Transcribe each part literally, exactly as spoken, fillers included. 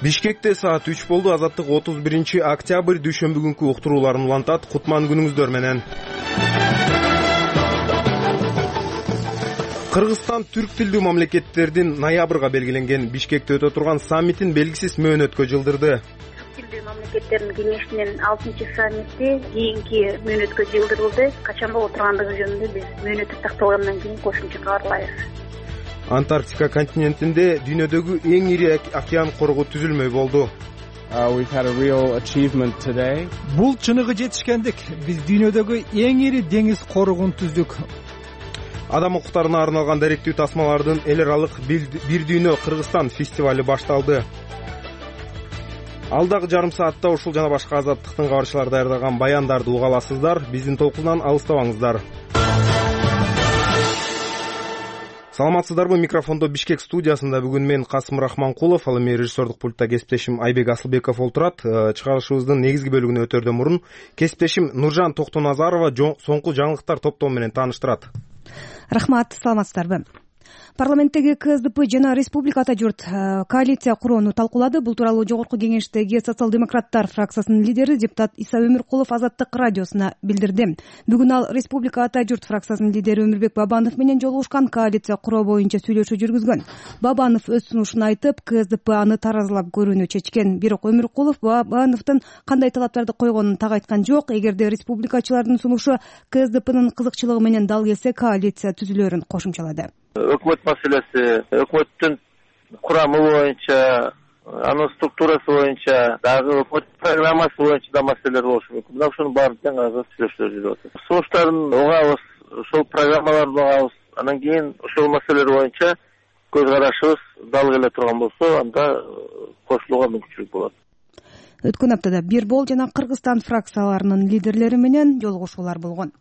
Бишкекте саат үч болду. Азаттык отуз биринчи октябрь дүйшөмбү күнкү уктурууларын улантат. Кутман күнүңүздөр менен. Кыргызстан түрк тилдүү мамлекеттердин ноябрга белгиленген Бишкекте өтө турган саммитин белгисиз мөөнөткө жылдырды. Түрк тилдүү мамлекеттердин кеңешинин алтынчы саммити кийинки мөөнөткө жылдырылды. Качан боло тургандыгы жөнүндө биз мөөнөт такталгандан кийин кошумча кабарлайбыз. Антарктика континентинде дүйнөдөгү эң ири океан коргу түзүлмөй болду. Бул чыныгы жетишкендик. Биз дүйнөдөгү эң ири деңиз коргун түздүк. Адам укуктарына арналган даректүү тасмалардын эл аралык бир дүйнө Кыргызстан фестивали башталды. Алдагы жарым саатта ушул жана башка азаттыктын кабарчылары даярдаган баяндарды уга аласыздар. Биздин толкундан алыстабаңыздар. Саламатсыздарбы? Микрофондо Бишкек студиясында бүгүн мен Касым Рахманкулов, ал эми режиссердик пультта кесиптешим Айбек Асылбеков олтурат. Чыгарылышыбыздын негизги бөлүгүнө өтөрдөн мурун кесиптешим Нуржан Токтоназарова соңку жаңылыктар топтому менен тааныштырат. Рахмат, саламатсыздарбы? Парламенттеги КСДП жана Республика Ата журт коалиция курууну талкуулады. Бул тууралуу Жогорку кеңештеги социал-демократтар фракциясынын лидери депутат Иса Өмүркулов Азаттык радиосуна билдирди. Бүгүн ал Республика Ата журт фракциясынын лидери Өмүрбек Бабанов менен жолугушкан, коалиция куруу боюнча сүйлөшүү жүргүзгөн. Бабанов өз сунушун айтып, КСДП аны таразылап көрүүнү чечкен. Бирок Өмүркулов Бабановдун кандай талаптарды койгонун так айткан жок. Эгерде республикачылардын сунушу КСДПнын кызыкчылыгы менен дал келсе, коалиция түзүлөрүн кошумчалады. Өкмөт маселеси, өкмөттүн курамы боюнча, анын структурасы боюнча, дагы өкмөт программасы боюнча да маселелер болушу мүмкүн. Мына ушунун баарын тең арада сүйлөшүүлөр жүрүп атат. Сунуштарын угабыз, ошол программаларды угабыз. Анан кийин ошол маселелер боюнча көз карашыбыз дал келе турган болсо, анда кошулууга мүмкүнчүлүк болот. Өткөн аптада Бирбол жана Кыргызстан фракцияларынын лидерлери менен жолугушуулар болгон.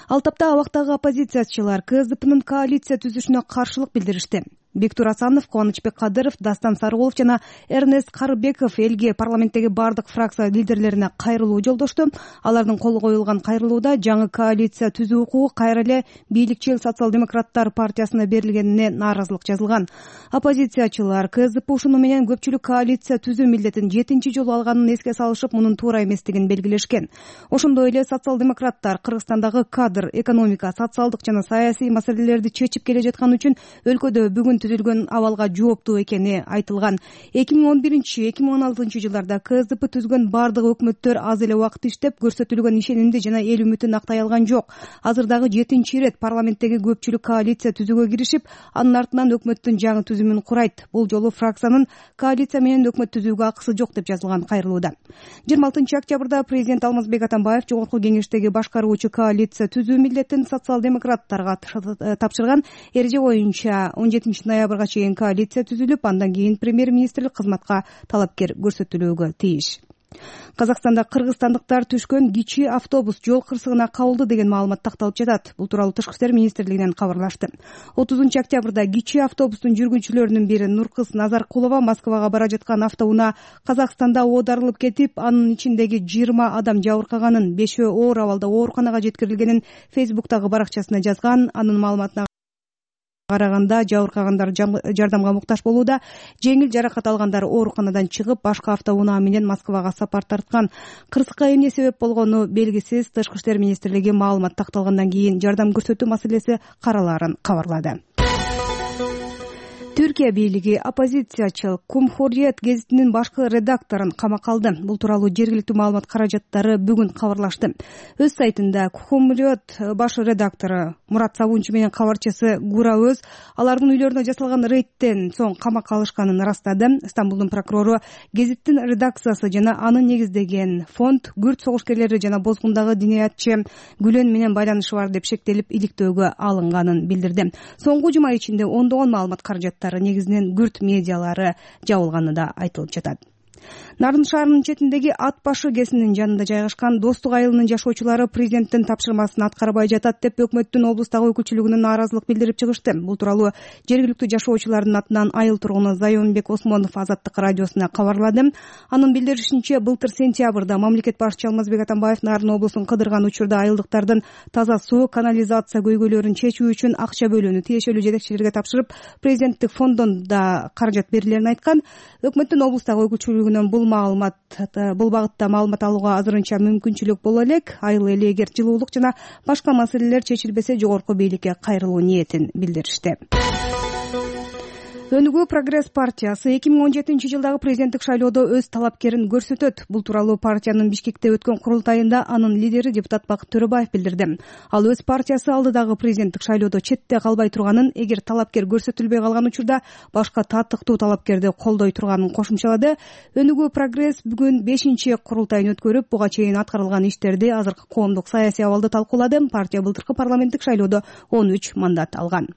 Ал тапта абактагы оппозициячылар КСДПнын коалиция түзүшүнө каршылык билдиришти. Бектур Асанов, Кубанычбек Кадыров, Дастан Сарыгулов жана Эрнест Карыбеков элге, парламенттеги бардык фракция лидерлерине кайрылуу жолдошту. Алардын колу коюлган кайрылууда жаңы коалиция түзүү укугу кайра эле бийликчил социал-демократтар партиясына берилгенине нааразылык жазылган. Оппозициячылар КСДП ушуну менен көпчүлүк коалиция түзүү милдетин жетинчи жолу алганын эске салышып, мунун туура эместигин белгилешкен. Ошондой эле социал-демократтар Кыргызстандагы кадр, экономика, социалдык жана саясий маселелерди чечип келе жаткан үчүн өлкөдө бүгүн түзүлгөн абалга жооптуу экени айтылган. эки миң он биринчи эки миң он алтынчы жылдарда КСДП түзгөн бардык өкмөттөр аз эле убакыт иштеп, көрсөтүлгөн ишенимди жана эл үмүтүн актай алган жок. Азыр дагы жетинчи ирет парламенттеги көпчүлүк коалиция түзүүгө киришип, анын артынан өкмөттүн жаңы түзүмүн курайт. Бул жолу фракциянын коалиция менен өкмөт түзүүгө акысы жок деп жазылган кайрылууда. жыйырма алтынчы октябрда президент Алмазбек Атамбаев Жогорку кеңештеги башкаруучу коалиция түзүү милдетин социал-демократтарга тапшырган. Эреже боюнча он жетинчи ноябрга чейин коалиция түзүлүп, андан кийин премьер-министрлик кызматка талапкер көрсөтүлүүгө тийиш. Казакстанда кыргызстандыктар түшкөн кичи автобус жол кырсыгына кабылды деген маалымат такталып жатат. Бул тууралуу Тышкы иштер министрлигинен кабарлашты. отузунчу октябрда кичи автобустун жүргүнчүлөрүнүн бири Нуркыз Назаркулова Москвага бара жаткан автоунаа Казакстанда оодарылып кетип, анын ичиндеги жыйырма адам жабыркаганын, бешөө оор абалда ооруканага жеткирилгенин Фейсбуктагы баракчасына жазган. Анын маалыматына караганда, жабыркагандар жардамга муктаж болууда. Жеңил жаракат алгандар ооруканадан чыгып, башка автоунаа менен Москвага сапар тарткан. Кырсыкка эмне себеп болгону белгисиз. Тышкы иштер министрлиги маалымат такталгандан кийин жардам көрсөтүү маселеси каралаарын кабарлады. Түркия бийлиги оппозициячыл Cumhuriyet гезитинин башкы редакторун камакка алды. Бул тууралуу жергиликтүү маалымат каражаттары бүгүн кабарлашты. Өз сайтында Cumhuriyet баш редактору Мурат Сабунчу менен кабарчысы Гура Өз алардын үйлөрүнө жасалган рейдтен соң камакка алышканын ырастады. Стамбулдун прокурору гезиттин редакциясы жана аны негиздеген фонд күрд согушкерлери жана бозгундагы диниятчы Гүлен менен байланышы бар деп шектелип иликтөөгө алынганын билдирди. Соңку жума ичинде ондогон маалымат каражаттары негизинен күрд медиалары жабылганы да айтылып жатат. Нарын шаарынын четиндеги Ат башы кесинин жанында жайгашкан Достук айылынын жашоочулары президенттин тапшырмасын аткарбай жатат деп өкмөттүн облустагы өкүлчүлүгүнө нааразылык билдирип чыгышты. Бул тууралуу жергиликтүү жашоочулардын атынан айыл тургуну Зайонбек Осмонов Азаттык радиосуна кабарлады. Анын билдиришинче, былтыр сентябрда мамлекет башчысы Алмазбек Атамбаев Нарын облусун кыдырган учурда айылдыктардын таза суу, канализация көйгөйлөрүн чечүү үчүн акча бөлүүнү тиешелүү жетекчилерге тапшырып, президенттик фонддон да каражат берилерин айткан. Өкмөттүн облустагы өкүлчүлүгүнөн бул маалымат бул багытта маалымат алууга азырынча мүмкүнчүлүк боло элек. Айыл эли эгер жылуулук жана башка маселелер чечилбесе жогорку бийликке кайрылуу ниетин билдиришти. Өнүгүү Прогресс партиясы эки миң он жетинчи жылдагы президенттик шайлоодо өз талапкерин көрсөтөт. Бул тууралуу партиянын Бишкекте өткөн курултайында анын лидери депутат Бакыт Төрөбаев билдирди. Ал өз партиясы алдыдагы президенттик шайлоодо четте калбай турганын, эгер талапкер көрсөтүлбөй калган учурда башка татыктуу талапкерди колдой турганын кошумчалады. Өнүгүү Прогресс бүгүн бешинчи курултайын өткөрүп, буга чейин аткарылган иштерди, азыркы коомдук саясий абалды талкуулады. Партия былтыркы парламенттик шайлоодо он үч мандат алган.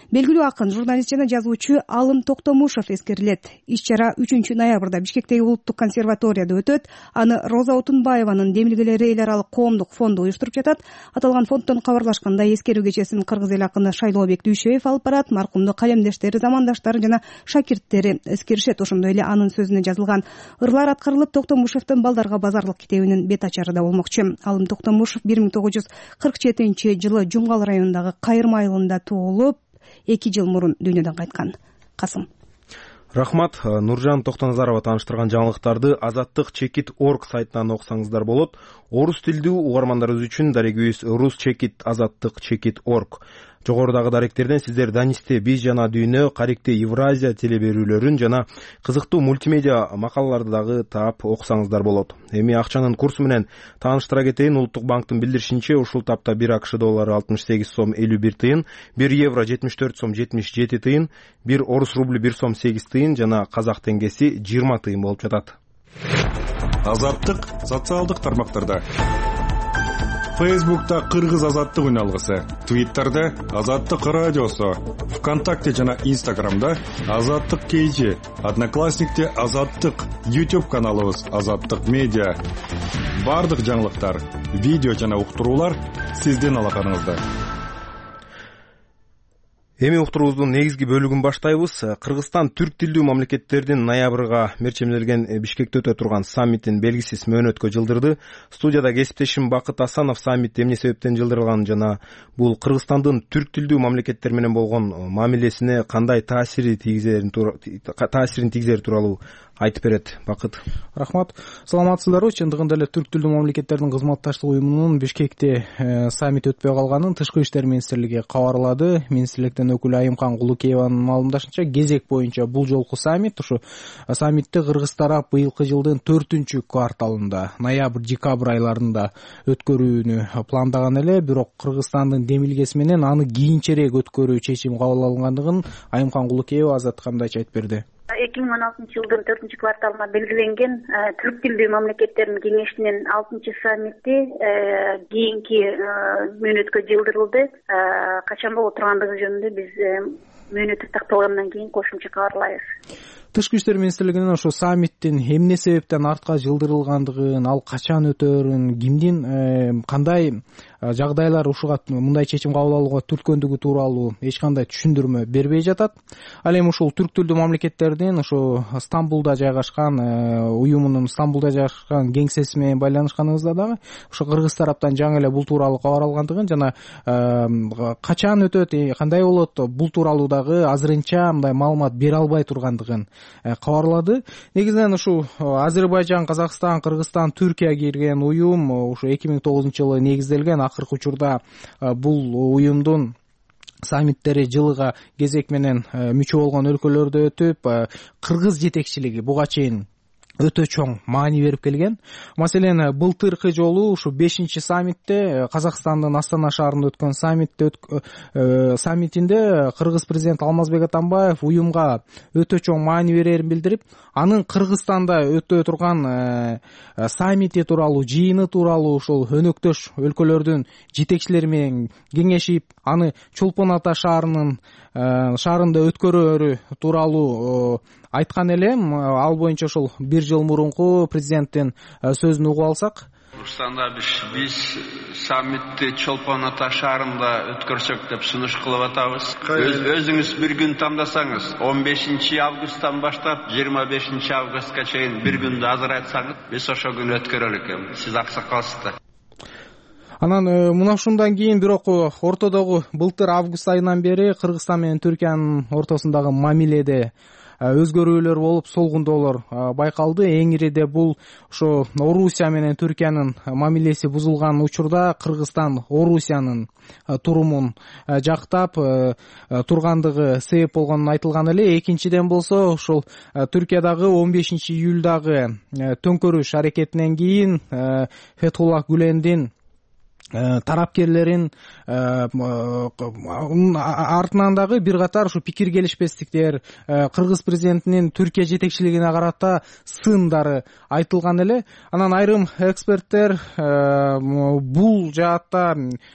Белгилүү акын, журналист жана жазуучу Алым Токтомушев эскерилет. Иш-чара үчүнчү ноябрда Бишкектеги улуттук консерваторияда өтөт. Аны Роза Отунбаеванын демилгелери эл аралык коомдук фонду уюштуруп жатат. Аталган фонддон кабарлашканда, эскерүү кечесин кыргыз эл акыны Шайлообек Дүйшөев алып барат. Маркумдун калемдештери, замандаштары жана шакирттери эскеришет. Ошондой эле анын сөзүнө жазылган ырлар аткарылып, Токтомушевдин балдарга базарлык китебинин бет ачары да болмокчу. Алым Токтомушев бир миң тогуз жүз кырк жетинчи жылы Жумгал районундагы Кайырма айылында туулуп, эки жыл мурун дүйнөдөн кайткан. Касым. Рахмат. Нуржан Токтоназарова тааныштырган жаңылыктарды азаттык чекит точка орг сайтынан окусаңыздар болот. Орус тилдүү угармандарыбыз үчүн дарегибиз рус чекит азаттык чекит точка орг. Жогорудагы даректерден сиздер Данисте биз жана дүйнө, Карикте Евразия телеберүүлөрүн жана кызыктуу мультимедиа макалаларды дагы таап окусаңыздар болот. Эми акчанын курсу менен тааныштыра кетейин. Улуттук банктын билдиришинче, ушул тапта бир АКШ доллары алтымыш сегиз сом элүү бир тыйын, бир евро жетимиш төрт сом жетимиш жети тыйын, бир орус рубль бир сом сегиз тыйын жана казак теңгеси жыйырма тыйын болуп жатат. Азаттык социалдык тармактарда. Фейсбукта Кыргыз азаттык үн алгысы, Твиттерде Азаттык радиосу, ВКонтакте жана Инстаграмда Азаттык кейжи, Одноклассникте Азаттык, YouTube каналыбыз Азаттык медиа. Бардык жаңылыктар, видео жана уктуруулар сиздин алаканыңызда. Эми уктуруубуздун негизги бөлүгүн баштайбыз. Кыргызстан түрк тилдүү мамлекеттердин ноябрга мерчемделген Бишкекте өтө турган саммитин белгисиз мөөнөткө жылдырды. Студияда кесиптешим Бакыт Асанов саммит эмне себептен жылдырылганын жана бул Кыргызстандын түрк тилдүү мамлекеттер менен болгон мамилесине кандай таасирин тийгизерин таасирин тийгизери тууралуу айтып берет. Бакыт. Рахмат. Саламатсыздарбы? Чындыгында эле түрк тилдүү мамлекеттердин кызматташтык уюмунун Бишкекте саммит өтпөй калганын Тышкы иштер министрлиги кабарлады. Министрликтен өкүлү Айымкан Кулукееванын маалымдашынча, кезек боюнча бул жолку саммит ушу саммитти кыргыз тарап быйылкы жылдын төртүнчү кварталында, ноябрь-декабрь айларында өткөрүүнү пландаган эле, бирок Кыргызстандын демилгеси менен аны кийинчерээк өткөрүү чечими кабыл алынгандыгын Айымкан Кулукеева Азаттыкка мындайча айтып берди. эки миң он алтынчы жылдын төртүнчү кварталына белгиленген түрк тилдүү мамлекеттердин кеңешинин алтынчы саммити кийинки мөөнөткө жылдырылды. Качан боло тургандыгы жөнүндө биз мөөнөт такталгандан кийин кошумча кабарлайбыз. Тышкы иштер министрлигинин ошо саммиттин эмне себептен артка жылдырылгандыгын, ал качан өтөрүн, кимдин кандай жагдайлар ушуга мындай чечим кабыл алууга түрткөндүгү тууралуу эч кандай түшүндүрмө бербей жатат. Ал эми ушул түрк тилдүү мамлекеттердин ошо Стамбулда жайгашкан уюмунун Стамбулда жайгашкан кеңсеси менен байланышканыбызда дагы ошо кыргыз тараптан жаңы эле бул тууралуу кабар алгандыгын жана качан өтөт, кандай болот, бул тууралуу дагы азырынча мындай маалымат бере албай тургандыгын кабарлады. Негизинен ушу Азербайжан, Казакстан, Кыргызстан, Түркия кирген уюм ушу эки миң тогузунчу жылы негизделген. Акыркы учурда бул уюмдун саммиттери жылыга кезек менен мүчө болгон өлкөлөрдө өтүп, кыргыз жетекчилиги буга чейин өтө чоң маани берип келген. Маселен, былтыркы жолу ушу бешинчи саммитте, Казакстандын Астана шаарында өткөн саммитте саммитинде кыргыз президенти Алмазбек Атамбаев уюмга өтө чоң маани берерин билдирип, анын Кыргызстанда өтө турган саммити тууралуу, жыйыны тууралуу ушул өнөктөш өлкөлөрдүн жетекчилери менен кеңешип, аны Чолпон Ата шаарынын шаарында өткөрүүрү тууралуу айткан элем. Ал боюнча ошол бир жыл мурунку президенттин сөзүн угуп алсак. Ушсанда биз саммитти Чолпон Ата шаарында өткөрсөк деп сунуш кылып атабыз. Өзүңүз бир күн тандасаңыз, он бешинчи августтан баштап жыйырма бешинчи августка чейин бир күндү азырайтсаңыз, биз ошол күнү өткөрөр экенбиз. Сиз аксакалсыздар. Анан мына ушундан кийин бирок ортодогу былтыр август айынан бери Кыргызстан менен Түркиянын ортосундагы мамиледе өзгөрүүлөр болуп, солгундоолор байкалды. Эң ириде бул ошо Орусия менен Түркиянын мамилеси бузулган учурда Кыргызстан Орусиянын турумун жактап тургандыгы себеп болгонун айтылган эле. Экинчиден болсо ошол Түркиядагы он бешинчи июлдагы төңкөрүш аракетинен кийин Фетхуллах Гүлендин тарапкерлерин артынан дагы бир катар ушу пикир келишпестиктер, Кыргыз президентинин Түркия жетекчилигине карата сындары айтылган эле. Анан айрым эксперттер бул жаатта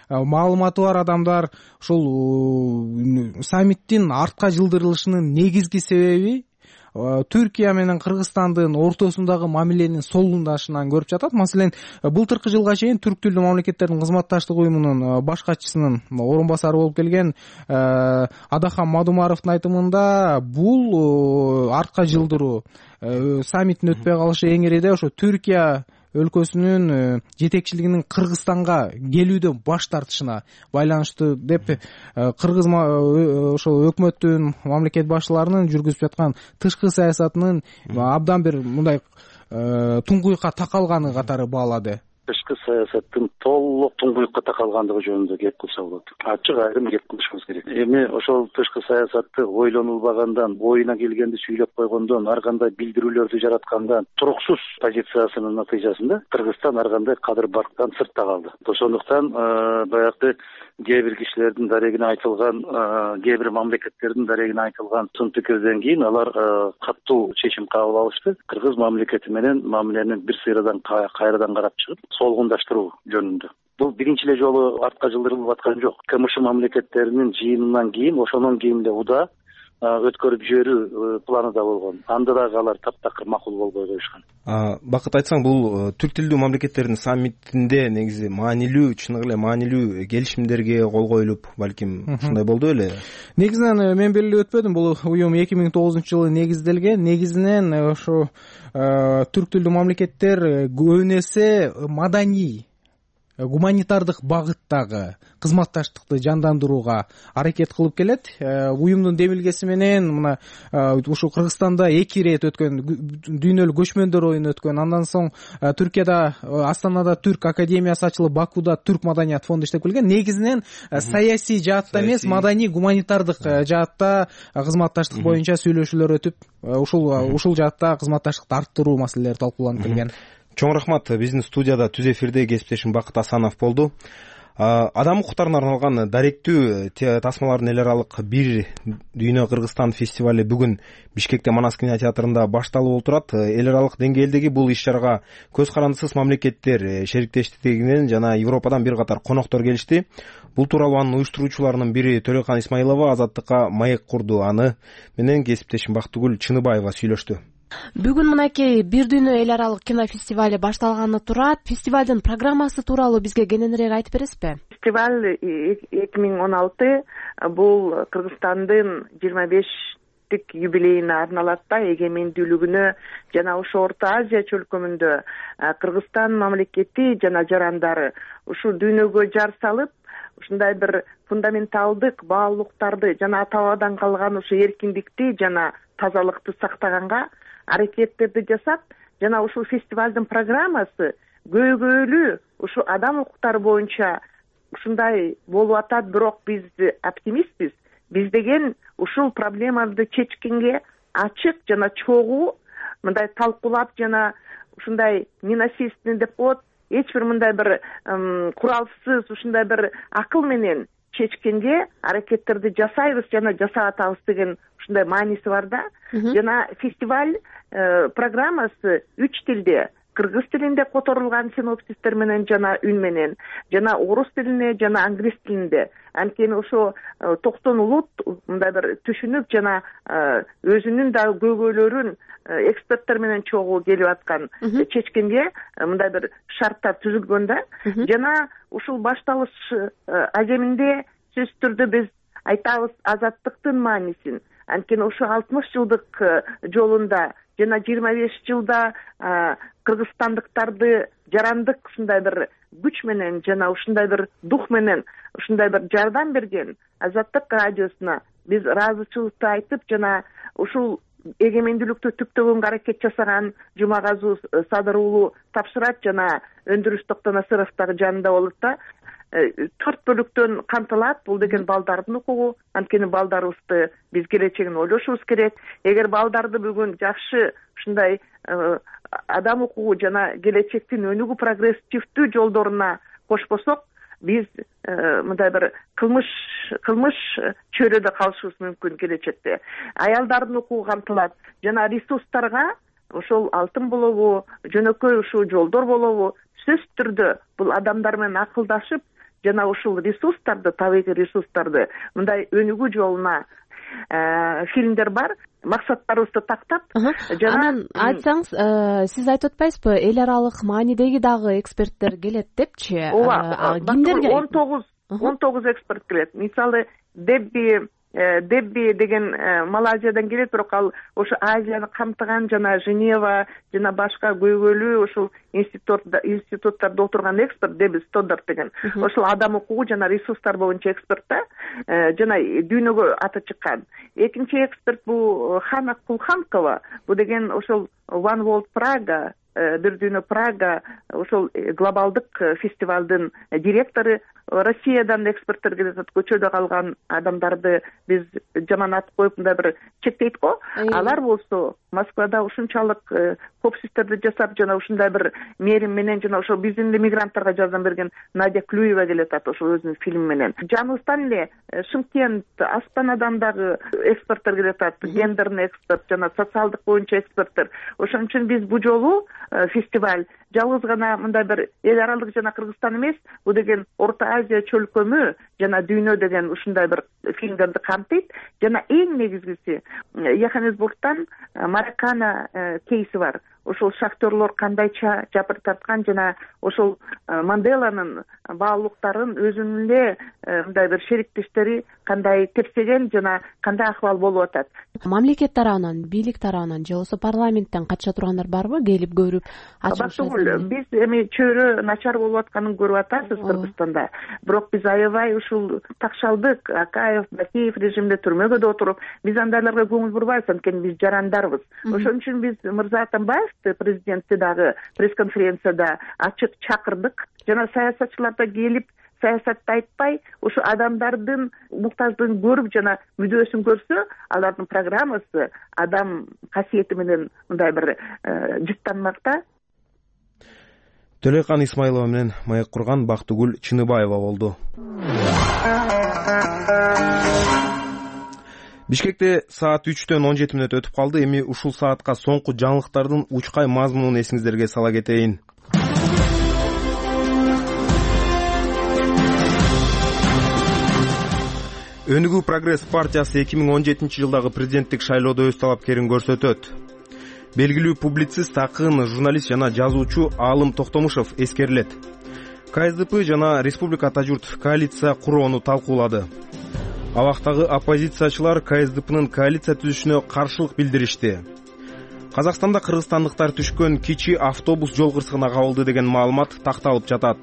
маалыматы бар адамдар ушул саммиттин артка жылдырылышынын негизги себеби Түркия менен Кыргызстандын ортосундагы мамиленин солгундашынан көрүп жатат. Маселен, былтыркы жылга чейин түрк тилдүү мамлекеттердин кызматташтык уюмунун баш катчысынын орун басары болуп келген Адахан Мадумаровдун айтымында бул артка жылдыруу, саммиттин өтпөй калышы эң ириде ошо Түркия өлкөсүнүн жетекчилигинин Кыргызстанга келүүдөн баш тартышына байланыштуу деп Кыргыз ошол өкмөттүн, мамлекет башчыларынын жүргүзүп жаткан тышкы саясатынын абдан бир мындай туңгуйукка такалганы катары баалады. Тышкы саясаттын толук туңгуюкка такалгандыгы жөнүндө кеп кылса болот. Ачык айрым кеп кылышыбыз керек. Эми ошол тышкы саясатты ойлонулбагандан, оюна келгенди сүйлөп койгондон, ар кандай билдирүүлөрдү жараткандан, туруксуз позициясынын натыйжасында Кыргызстан ар кандай кадыр барктан сыртта калды. Ошондуктан баягы кээ бир кишилердин дарегине айтылган, кээ бир мамлекеттердин дарегине айтылган сын пикирден кийин алар катуу чечим кабыл алышты. Кыргыз мамлекети менен мамиленин бир сыйрадан кайрадан карап чыгып, солгундаштыруу жөнүндө. Бул биринчи эле жолу артка жылдырылып аткан жок. КМШ мамлекеттеринин жыйынынан кийин, ошондон кийин эле уда өткөрүп жиберүү планы да болгон. Анда дагы алар таптакыр макул болбой коюшкан. Бакыт айтсаң, бул түрк тилдүү мамлекеттердин саммитинде негизи маанилүү, чыныгы эле маанилүү келишимдерге кол коюлуп, балким ушундай болду беле? Негизинен мен белгилеп өтпөдүм. Бул уюм эки миң тогузунчу жылы негизделген. Негизинен ошо түрк тилдүү мамлекеттер көбүн эсе маданий, гуманитардык багыттагы кызматташтыкты жандандырууга аракет кылып келет. Уюмдун демилгеси менен мына ушу Кыргызстанда эки ирет өткөн дүйнөлүк көчмөндөр оюну өткөн. Андан соң Түркияда Астанада Түрк академиясы ачылып, Бакуда Түрк маданият фонду иштеп келген. Негизинен саясий жаатта эмес, маданий гуманитардык жаатта кызматташтык боюнча сүйлөшүүлөр өтүп, ушул ушул жаатта кызматташтыкты арттыруу маселелери талкууланып келген. Чоң рахмат. Биздин студияда түз эфирде кесиптешим Бакыт Асанов болду. Адам укуктарына арналган даректүү тасмалардын эл аралык бир дүйнө Кыргызстан фестивали бүгүн Бишкекте Манас кинотеатрында башталып отурат. Эл аралык деңгээлдеги бул иш-чарага көз карандысыз мамлекеттер шериктештигинен жана Европадан бир катар коноктор келишти. Бул тууралуу анын уюштуруучуларынын бири Төлөкан Исмаилова Азаттыкка маек курду. Аны менен кесиптешим Бактыгүл Чыныбаева сүйлөштү. Бүгүн мынакей бир дүйнө эл аралык кино фестивали башталганы турат. Фестивалдын программасы тууралуу бизге кененирээк айтып бересизби? Фестиваль эки миң он алты бул Кыргызстандын жыйырма бештик юбилейине арналат да, эгемендүүлүгүнө жана ошо Орто Азия чөлкөмүндө Кыргызстан мамлекети жана жарандары ушу дүйнөгө жар салып, ушундай бир фундаменталдык баалуулуктарды жана ата бабадан калган ушу эркиндикти жана тазалыкты сактаганга аракеттерди жасап, жана ушул фестивалдын программасы көйгөйлүү ушу адам укуктары боюнча ушундай болуп атат, бирок биз оптимистпиз. Биз деген ушул проблеманы чечкенге ачык жана чогуу мындай талкуулап жана ушундай ненасильственный деп коет, эч бир мындай бир куралсыз ушундай бир акыл менен чечкенге аракеттерди жасайбыз жана жасап атабыз деген ушундай мааниси бар да. Жана фестиваль программасы үч тилде кыргыз тилинде которулган синопсистер менен жана үн менен, жана орус тилинде жана англис тилинде. Анткени ошо тоқсон улут мындай бир түшүнүп жана өзүнүн дагы көйгөйлөрүн эксперттер менен чогуу келип аткан чечкенге мындай бир шарттар түзүлгөн да. Жана ушул башталыш аземинде сөзсүз түрдө биз айтабыз азаттыктын маанисин. Анткени ошо алтымыш жылдык жолунда жана жыйырма беш жылда кыргызстандыктарды жарандык ушундай бир күч менен жана ушундай бир дух менен ушундай бир жардам берген Азаттык радиосуна биз ыраазычылыкты айтып жана ушул эгемендүүлүктү түптөгөнгө аракет жасаган Жумагазуу Садыр уулу тапшырат жана Өндүрүш Токтонасыров дагы жанында болот да. Төрт бөлүктөн камтылат. Бул деген балдардын укугу. Анткени балдарыбызды биз келечегин ойлошубуз керек. Эгер балдарды бүгүн жакшы ушундай адам укугу жана келечектин өнүгүү прогрессивдүү жолдоруна кошпосок, биз мындай бир кылмыш кылмыш чөйрөдө калышыбыз мүмкүн келечекте. Аялдардын укугу камтылат жана ресурстарга ошол алтын болобу, жөнөкөй ушул жолдор болобу, сөзсүз түрдө бул адамдар менен акылдашып жана ушул ресурстарды, табигый ресурстарды мындай өнүгүү жолуна фильмдер бар. Максаттарыбызды тактап жана анан айтсаңыз, сиз айтып атпайсызбы, эл аралык маанидеги дагы эксперттер келет депчи? Ооба, кимдерге? он тогуз он тогуз эксперт келет. Мисалы Дебби Дебби деген Малайзиядан келет, бирок ал ошо Азияны камтыган жана Женева жана башка көйгөйлүү ушул институтта институттарда отурган эксперт Дебби Стоддарт деген. Ошол адам укугу жана ресурстар боюнча эксперт да, жана дүйнөгө аты чыккан. Экинчи эксперт бул Хана Кулханкова. Бул деген ошол One World Praga, бир дүйнө Прага, ошол глобалдык фестивалдын директору. Россиядан эксперттер келет, көчөдө калган адамдарды биз жаман ат коюп мындай бир чектейт го. Алар болсо Москвада ушунчалык коп систерди жасап жана ушундай бир мээрим менен жана ошо биздин мигранттарга жардам берген Надя Клюева келет ат ошол өзүнүн фильми менен. Жаныбыздан эле Шымкент, Астанадан дагы эксперттер келет ат, гендерный эксперт жана социалдык боюнча эксперттер. Ошон үчүн биз бу жолу фестиваль жалгыз гана мындай бир эл аралык жана Кыргызстан эмес, бул деген Орто Азия чөлкөмү жана дүйнө деген ушундай бир фильмдерди камтыйт. Жана эң негизгиси Йоханнесбургтан Маракана кейси бар. Ошол шахтерлор кандайча жабыр тарткан жана ошол Манделанын баалуулуктарын өзүнүн эле мындай бир шериктештери кандай тепсеген жана кандай акыбал болуп атат. Мамлекет тарабынан, бийлик тарабынан же болбосо парламенттен катыша тургандар барбы, келип көрүп ачылышат? Биз эми чөйрө начар болуп атканын көрүп атасыз Кыргызстанда. Бирок биз аябай ушул такшалдык, Акаев, Бакиев режимде түрмөгө да отуруп, биз андайларга көңүл бурбайбыз, анткени биз жарандарбыз. Ошон үчүн биз Мырза Атамбаев президентти дагы пресс-конференцияда ачык чакырдык. Жана саясатчыларда келип саясатты айтпай, ушу адамдардын муктаждыгын көрүп жана мүдөөсүн көрсө, алардын программасы адам касиети менен мындай бир жыттанмак да. Төлөйкан Исмаилова менен маек курган Бактыгүл Чыныбаева болду. Бишкекте саат үчтөн он жети мүнөт өтүп калды. Эми ушул саатка соңку жаңылыктардын учкай мазмунун эсиңиздерге сала кетейин. Өнүгүү прогресс партиясы эки миң он жетинчи жылдагы президенттик шайлоодо өз талапкерин көрсөтөт. Белгилүү публицист, акын, журналист жана жазуучу Аалым Токтомушов эскерилет. КСДП жана Республика-ата журт коалиция курууну талкуулады. Абактагы оппозициячылар КСДПнын коалиция түзүшүнө каршылык билдиришти. Казакстанда кыргызстандыктар түшкөн кичи автобус жол кырсыгына кабылды деген маалымат такталып жатат.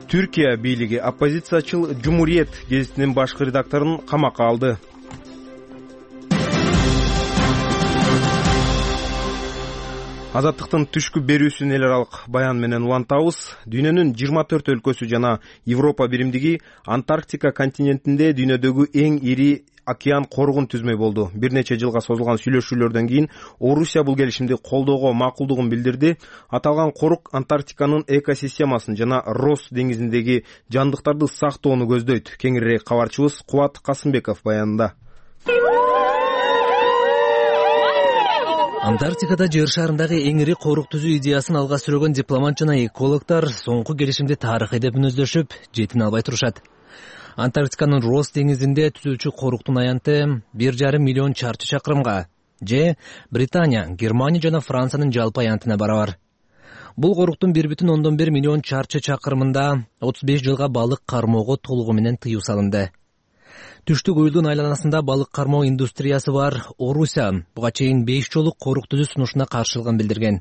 Түркия бийлиги оппозициячыл Жумуриет гезитинин башкы редакторун камакка алды. Азаттыктын түшкү берүүсүн эл аралык баян менен улантабыз. Дүйнөнүн жыйырма төрт өлкөсү жана Европа биримдиги Антарктика континентинде дүйнөдөгү эң ири океан коргун түзмөй болду. Бир нече жылга созулган сүйлөшүүлөрдөн кийин Орусия бул келишимди колдоого макулдугун билдирди. Аталган корук Антарктиканын экосистемасын жана Росс деңизиндеги жандыктарды сактоону көздөйт. Кеңирээк кабарчыбыз Кубат Касымбеков баянында. Антарктикада жер шарындагы эң ири корук түзүү идеясын алга сүргөн дипломат жана экологдор соңку келишимди тарыхый деп мүнөздөшүп, жетине албай турушат. Антарктиканын Росс деңизинде түзүүчү коруктун аянты бир жарым миллион чарчы чакырымга, же Британия, Германия жана Франциянын жалпы аянтына барабар. Бул коруктун бир бүтүн ондон бир миллион чарчы чакырымында отуз беш жылга балык кармоого толугу менен тыюу салынды. Түштүк уюлдун айланасында балык кармоо индустриясы бар Орусия буга чейин беш жолу корук түзүү сунушуна каршылыгын билдирген.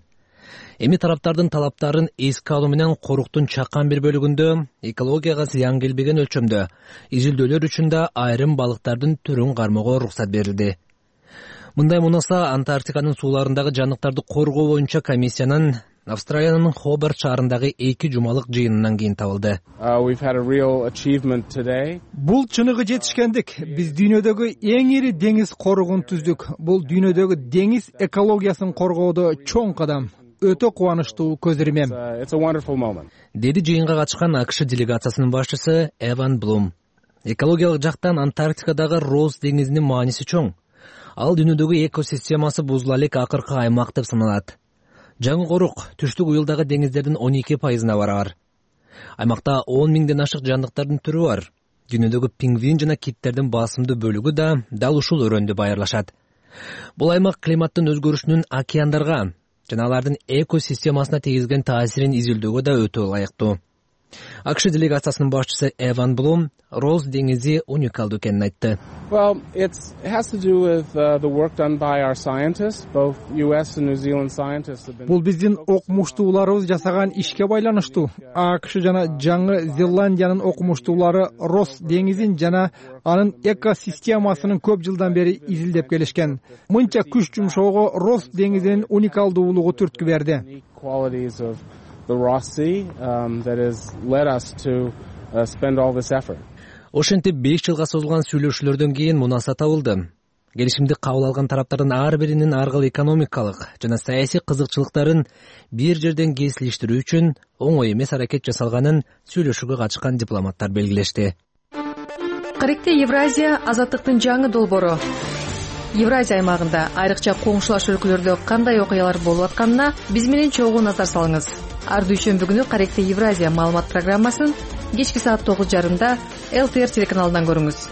Эми тараптардын талаптарын эске алуу менен коруктун чакан бир бөлүгүндө экологияга зыян келбеген өлчөмдө изилдөөлөр үчүн да айрым балыктардын түрүн кармоого уруксат берилди. Мындай мунаса Антарктиканын сууларындагы жаныктарды коргоо боюнча комиссиянын Австралиянын Хобарт шаарындагы эки жумалык жыйынынан кийин табылды. Бул чыныгы жетишкендик. Биз дүйнөдөгү эң ири деңиз коругун түздүк. Бул дүйнөдөгү деңиз экологиясын коргоодо чоң кадам. Өтө кубанычтуу көз ирмем. Деди жыйынга катышкан АКШ делегациясынын башчысы Эван Блум. Экологиялык жактан Антарктикадагы Росс деңизинин мааниси чоң. Ал дүйнөдөгү экосистемасы бузула элек акыркы аймак деп саналат. Жаңы корук түштүк уюлдагы деңиздердин он эки пайызына барабар. Аймакта он миңден ашык жандыктардын түрү бар. Дүйнөдөгү пингвин жана киттердин басымдуу бөлүгү да дал ушул өрөөндө байырлашат. Бул аймак климаттын өзгөрүшүнүн океандарга жана алардын экосистемасына тийгизген таасирин изилдөөгө да өтө ылайыктуу. АКШ делегациясынын башчысы Эван Блум Росс деңизи уникалдуу экенин айтты. Бул биздин окумуштууларыбыз жасаган ишке байланыштуу. АКШ жана Жаңы Зеландиянын окумуштуулары Росс деңизин жана анын экосистемасынын көп жылдан бери изилдеп келишкен. Мынча күч жумшоого Росс деңизинин уникалдуулугу түрткү берди. The Ross Sea um, that has led us to uh, spend all this effort. Ошентип беш жылга созулган сүйлөшүүлөрдөн кийин мунаса табылды. Келишимди кабыл алган тараптардын ар биринин ар кыл экономикалык жана саясий кызыкчылыктарын бир жерден кесилиштирүү үчүн оңой эмес аракет жасалганын сүйлөшүүгө катышкан дипломаттар белгилешти. Каректе Евразия азаттыктын жаңы долбоору. Евразия аймагында айрыкча коңшулаш өлкөлөрдө кандай окуялар болуп атканына биз менен чогуу назар салыңыз. Ар дүйшөмбү күнү Каректе Евразия маалымат программасын кечки саат тогуз жарымда эл ти эр телеканалынан көрүңүз.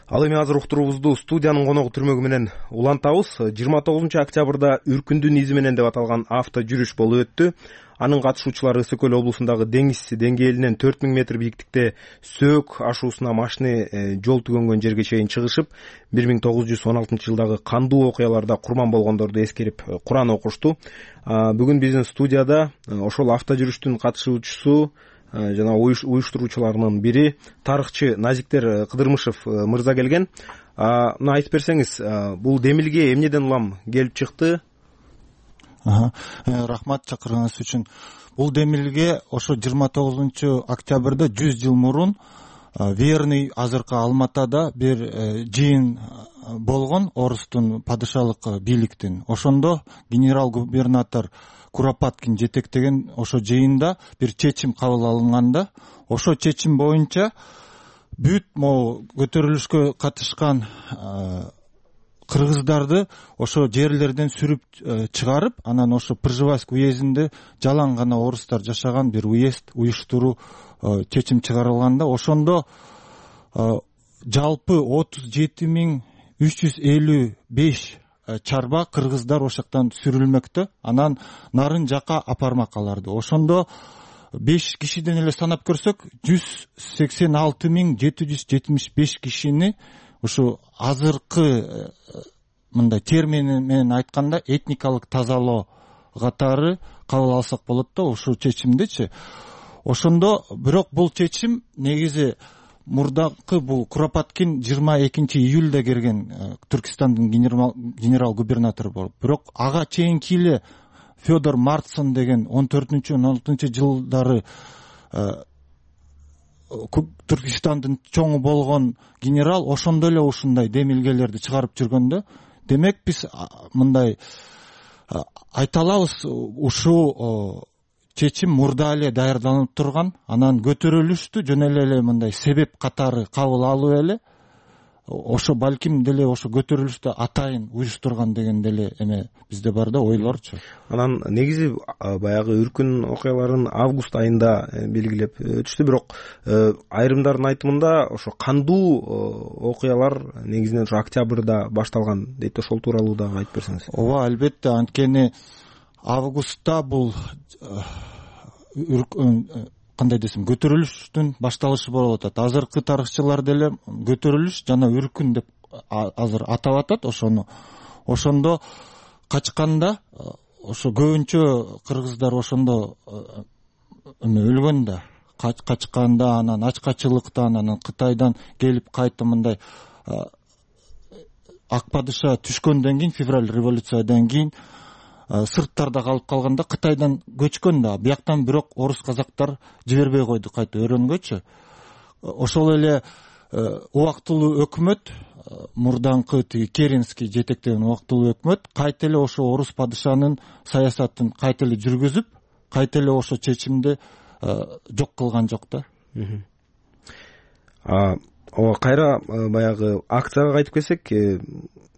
Ал эми азыр уктуруубузду студиянын коногу түрмөгү менен улантабыз. жыйырма тогузунчу октябрда Үркүндүн изи менен деп аталган авто жүрүш болуп өттү. Анын катышуучулары Ысык көл облусундагы деңиз деңгээлинен төрт миң метр бийиктикте Сөөк ашуусуна машина жол түгөнгөн жерге чейин чыгышып, бир миң тогуз жүз он алтынчы жылдагы кандуу окуяларда курман болгондорду эскерип Куран окушту. Бүгүн биздин студияда ошол авто жүрүштүн катышуучусу жана уюштуруучуларынын бири тарыхчы Назиктер Кыдырмышев мырза келген. Мына айтып берсеңиз, бул демилге эмнеден улам келип чыкты? Рахмат чакырганыңыз үчүн. Бул демилге ошо жыйырма тогузунчу октябрда жүз жыл мурун Верный азыркы Алматада бир жыйын болгон орустун падышалык бийликтин. Ошондо генерал-губернатор Куропаткин жетектеген ошо жыйында бир чечим кабыл алынганда, ошо чечим боюнча бүт могу көтөрүлүшкө катышкан кыргыздарды ошо жерлерден сүрүп чыгарып, анан ошо Пржевальск уездинде жалаң гана орустар жашаган бир уезд уюштуруу чечим чыгарылганда, ошондо жалпы отуз жети миң үч жүз элүү беш чарба кыргыздар ошол жактан сүрүлмөктө, анан нарын жака апармак аларды. Ошондо беш кишиден эле санап көрсөк, жүз сексен алты миң жети жүз жетимиш беш кишини ушу азыркы мындай термин менен айтканда этникалык тазалоо катары кабыл алсак болот да ушул чечимдичи. Ошондо бирок бул чечим негизи мурдакы бул Куропаткин жыйырма экинчи июлда келген Түркистандын генерал-губернатору болуп, бирок ага чейинки эле Федор Мартсон деген он төртүнчү он алтынчы жылдары Түркистандын чоңу болгон генерал ошондо эле ушундай демилгелерди чыгарып жүргөндө, демек биз мындай айта алабыз, ушул чечим мурда эле даярдалып турган, анан көтөрүлүштү жөн эле мындай себеп катары кабыл алуу эле ошо балким деле ошо көтөрүлүштү атайын уюштурган деген деле эме бизде бар да, ойлорчу. Анан негизи баягы үркүн окуяларын август айында белгилеп өтүштү, бирок айрымдардын айтымында ошо кандуу окуялар негизинен ошо октябрда башталган дейт. Ошол тууралуу дагы айтып берсеңиз. Ооба, албетте, анткени августта бул кандай десем көтөрүлүштүн башталышы болуп атат. Азыркы тарыхчылар деле көтөрүлүш жана үркүн деп азыр атап атат ошону. Ошондо качканда ошо көбүнчө кыргыздар ошондо эме өлгөн да, качканда, анан ачкачылыктан, анан Кытайдан келип кайта мындай ак падыша түшкөндөн кийин, февраль революциядан кийин сырттарда калып калганда Кытайдан көчкөн да, бияктан бирок орус казактар жибербей койду кайта өрөнгөчү. Ошол эле убактылуу өкмөт, мурдаңкы тиги Керенский жетектеген убактылуу өкмөт кайта эле ошо орус падышанын саясатын кайта эле жүргүзүп, кайта эле ошо чечимди жок кылган жок да. Ооба, кайра баягы акцияга кайтып келсек,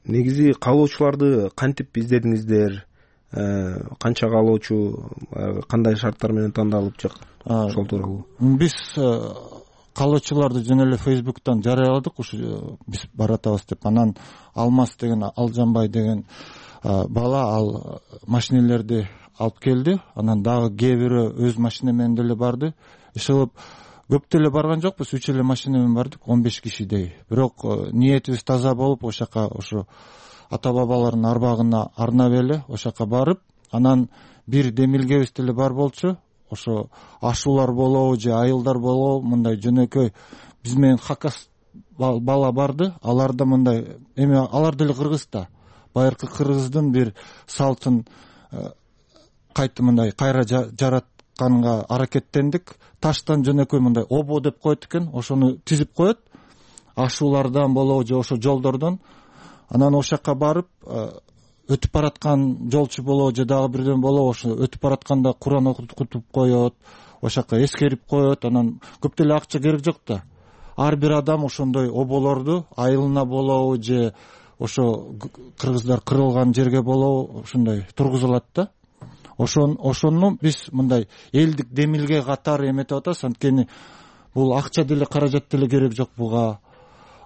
негизи каалоочуларды кантип издедиңиздер? Канча каалоочу, кандай шарттар менен тандалып жок? Ошол тууралуу. Биз каалоочуларды жөн эле Facebook'тан жарыяладык, ушу биз баратабыз деп. Анан Алмаз деген, Алжанбай деген бала ал машинелерди алып келди. Анан дагы кээ бирөө өз машина менен деле барды. Ишылып көп деле барган жокпуз, үч эле машина менен бардык, он беш кишидей. Бирок ниетибиз таза болуп, ошол жака ошо ата бабалардын арбагына арнап эле ошол жака барып, анан бир демилгебиз деле бар болчу. Ошо ашуулар болобу же айылдар болобу, мындай жөнөкөй биз менен хакас бала барды. Алар да мындай эме, алар деле кыргыз да. Байыркы кыргыздын бир салтын кайта мындай кайра жаратканга аракеттендик. Таштан жөнөкөй мындай обо деп коет экен, ошону тизип коет. Ашуулардан болобу же ошо жолдордон. Анан ошол жака барып, өтүп бараткан жолчу болобу же дагы бирден болобу, ошо өтүп баратканда Куран окутуп коет, ошол жака эскерип коет. Анан көп деле акча керек жок да. Ар бир адам ошондой оболорду айылына болобу же ошо кыргыздар кырылган жерге болобу ушундай тургузулат да. Ошон ошону биз мындай элдик демилге катары эметип атабыз, анткени бул акча деле каражат деле керек жок буга.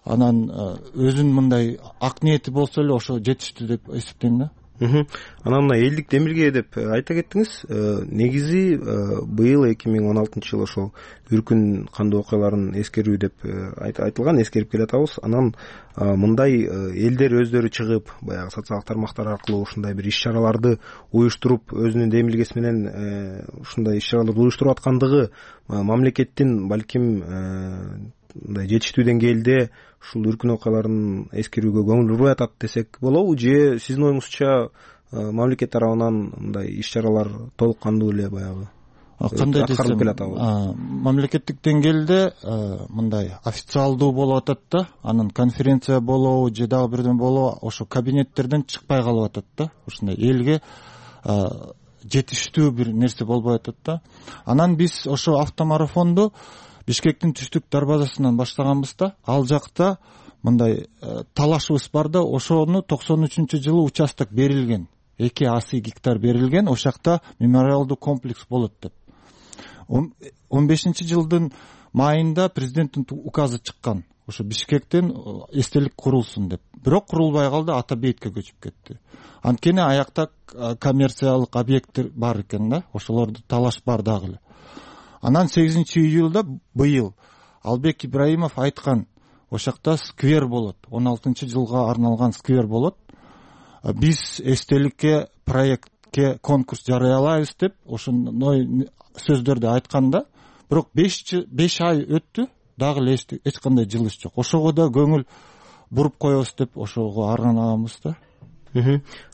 Анан өзүнүн мындай ак ниети болсо эле ошо жетиштүү деп эсептейм да. Анан мына элдик демилге деп айта кеттиңиз. Негизи быйыл эки миң он алтынчы жыл ошол үркүн кандуу окуяларын эскерүү деп айтылган, эскерип келатабыз. Анан мындай элдер өздөрү чыгып, баягы социалдык тармактар аркылуу ушундай бир иш-чараларды уюштуруп, өзүнүн демилгеси менен ушундай иш-чараларды уюштуруп аткандыгы мамлекеттин балким мындай жетиштүү деңгээлде ушул үркүн окуяларын эскерүүгө көңүл бурбай атат десек болобу, же сиздин оюңузча мамлекет тарабынан мындай иш-чаралар толук кандуу эле баягы кандай десем мамлекеттик деңгээлде мындай официалдуу болуп атат да, анан конференция болобу же дагы бирден болобу ошо кабинеттерден чыкпай калып атат да, ушундай элге жетиштүү бир нерсе болбой атат да. Анан биз ошо автомарафонду Бишкектин түштүк дарбазасынан баштаганбыз да. Ал жакта мындай талашыбыз бар да, ошону токсон үчүнчү жылы участок берилген, эки асый гектар берилген, ошол жакта мемориалдуу комплекс болот деп. он бешинчи жылдын майында президенттин указы чыккан, ошо Бишкектен эстелик курулсун деп. Бирок курулбай калды, Ата Бейитке көчүп кетти. Анткени аякта коммерциялык объекттер бар экен да, ошолорду талаш бар дагы эле. Анан сегизинчи июлда быйыл Албек Ибраимов айткан, ошол жакта сквер болот, он алтынчы жылга арналган сквер болот. Биз эстеликке, проектке конкурс жарыялайбыз деп ошондой сөздөрдү айтканда, бирок беш ай өттү, дагы эле эч кандай жылыш жок. Ошого да көңүл буруп коебуз деп ошого арганабыз да.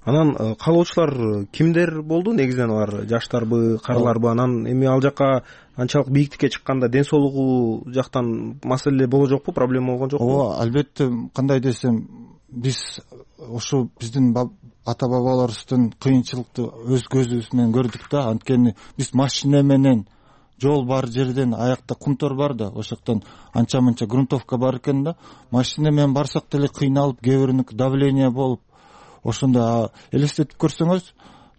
Анан каалоочулар кимдер болду? Негизинен алар жаштарбы, карыларбы? Анан эми ал жака анчалык бийиктикке чыкканда ден соолугу жактан маселе боло жокпу, проблема болгон жокпу? Ооба, албетте, кандай десем, биз ошо биздин ата бабаларыбыздын кыйынчылыкты өз көзүбүз менен көрдүк да, анткени биз машина менен жол бар жерден аякта кумтор бар да, ошол жактан анча мынча грунтовка бар экен да, машина менен барсак деле кыйналып, кээ бириники давление болуп, ошондо элестетип көрсөңүз,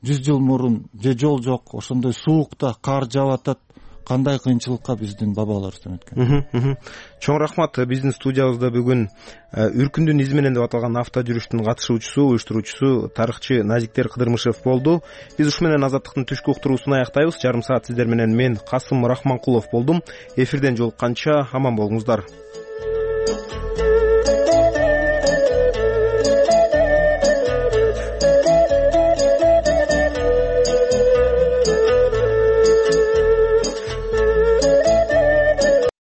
жүз жыл мурун же жол жок, ошондой суукта кар жаап атат, кандай кыйынчылыкка биздин бабаларыбыз өткөн. Чоң рахмат. Биздин студиябызда бүгүн Үркүндүн изи менен деп аталган авто жүрүштүн катышуучусу, уюштуруучусу тарыхчы Назиктер Кыдырмышев болду. Биз ушу менен Азаттыктын түшкү уктуруусун аяктайбыз. Жарым саат сиздер менен мен Касым Рахманкулов болдум. Эфирден жолукканча аман болуңуздар.